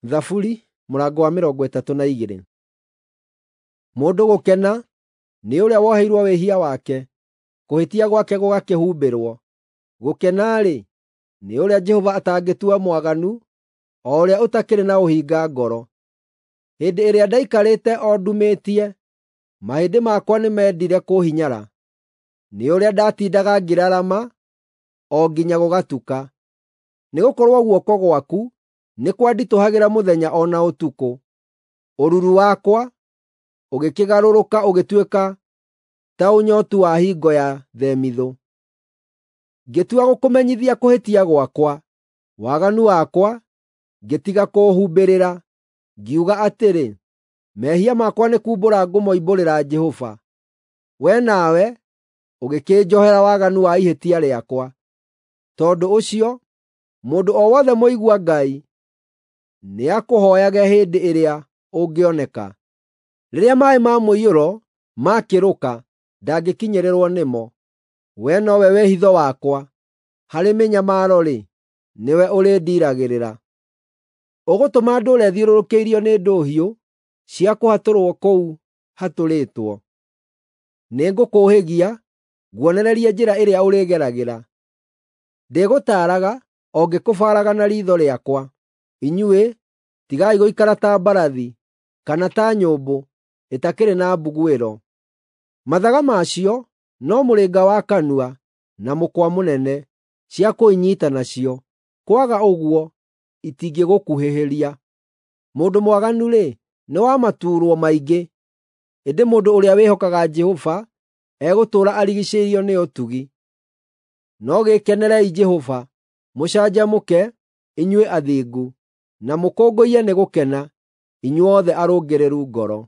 Thaburi mũrango wa 32. Mũndũ gũkena nĩ ũrĩa woheirwo wĩhia wake, kũhĩtia gwake gũgakĩhumbĩrwo. Gũkena-rĩ, nĩ ũrĩa Jehova atangĩtua mwaganu, o ũrĩa ũtakĩrĩ na ũhinga ngoro. Hĩndĩ ĩrĩa ndaikarĩte o ndumĩtie, mahĩndĩ makwa nĩmendire kũhinyara, nĩ ũrĩa ndatindaga ngĩrarama o nginya gũgatuka. Nĩgũkorwo guoko gwaku nĩ kwanditũhagĩra mũthenya o na ũtukũ. Ũruru wakwa ũgĩkĩgarũrũka ũgĩtuĩka ta ũnyootu wa hingo ya themithũ. Ngĩtua gũkũmenyithia kũhĩtia gwakwa, waganu wakwa ngĩtiga kũũhumbĩrĩra. Ngiuga atĩrĩ, “Mehia makwa nĩ kuumbũra ngũmoimbũrĩra Jehova.” Wee nawe ũgĩkĩnjohera waganu wa ihĩtia rĩakwa. Tondũ ũcio, mũndũ o wothe mũigua Ngai nĩakũhooyage hĩndĩ ĩrĩa ũngĩoneka. Rĩrĩa maaĩ ma mũiyũro maakĩrũka, ndangĩkinyĩrĩrwo nĩmo. Wee nowe wĩhitho wakwa; harĩ mĩnyamaro-rĩ, nĩwe ũrĩndiiragĩrĩra. Ũgũtũma ndũũre thiũrũrũkĩirio nĩ ndũhiũ cia kũhatũrwo kũu hatũrĩtwo. Nĩngũkũũhĩgia, nguonererie njĩra ĩrĩa ũrĩgeragĩra. Ndĩgũtaaraga o ngĩkũbaaraga na riitho rĩakwa. Inyuĩ, tigai gũikara ta mbarathi, kana ta nyũmbũ ĩtakĩrĩ na mbuguĩro. Mathaga macio no mũrĩnga wa kanua na mũkwa mũnene, cia kũinyiita nacio, kwaga ũguo itingĩgũkuhĩhĩria. Mũndũ mwaganu-rĩ, nĩ wa matuurwo maingĩ, ĩndĩ mũndũ ũrĩa wĩhokaga Jehova egũtũũra arigiicĩirio nĩ ũtugi. No gĩkenerei Jehova, mũcanjamũke, inyuĩ athingu, na mũkũngũiye nĩ gũkena, inyuothe arũngĩrĩru ngoro.